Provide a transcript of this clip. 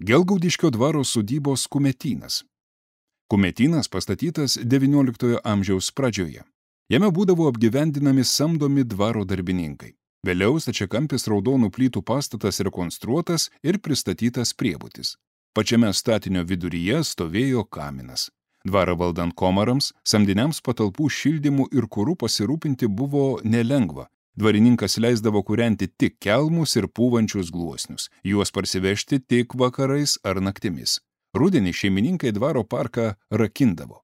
Gelgaudiškio dvaro sodybos Kumetynas. Kumetynas pastatytas XIX amžiaus pradžioje. Jame būdavo apgyvendinami samdomi dvaro darbininkai. Vėliau stačiakampis raudonų plytų pastatas rekonstruotas ir pristatytas priebutis. Pačiame statinio viduryje stovėjo kaminas. Dvarą valdant komarams, samdiniams patalpų šildymu ir kuru pasirūpinti buvo nelengva. Dvarininkas leisdavo kūrenti tik kelmus ir pūvančius gluosnius, juos parsivežti tik vakarais ar naktimis. Rudenį šeimininkai dvaro parką rakindavo.